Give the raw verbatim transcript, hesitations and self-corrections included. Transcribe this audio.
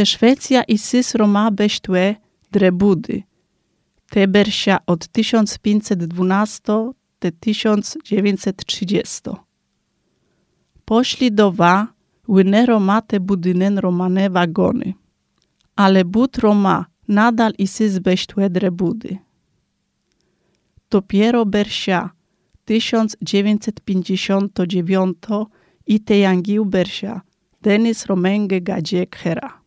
Te Szwecja i sys Roma beštue drebudy. Te bersia od tysiąc pięćset dwanaście do tysiąc dziewięćset trzydzieści. Poszli do wa, łyne Roma te budynen romane wagony. Ale bud Roma nadal i sys beštue drebudy. Dopiero bersia tysiąc dziewięćset pięćdziesiąt dziewięć i te jangił bersia Denis Romenge Gadzie Khera.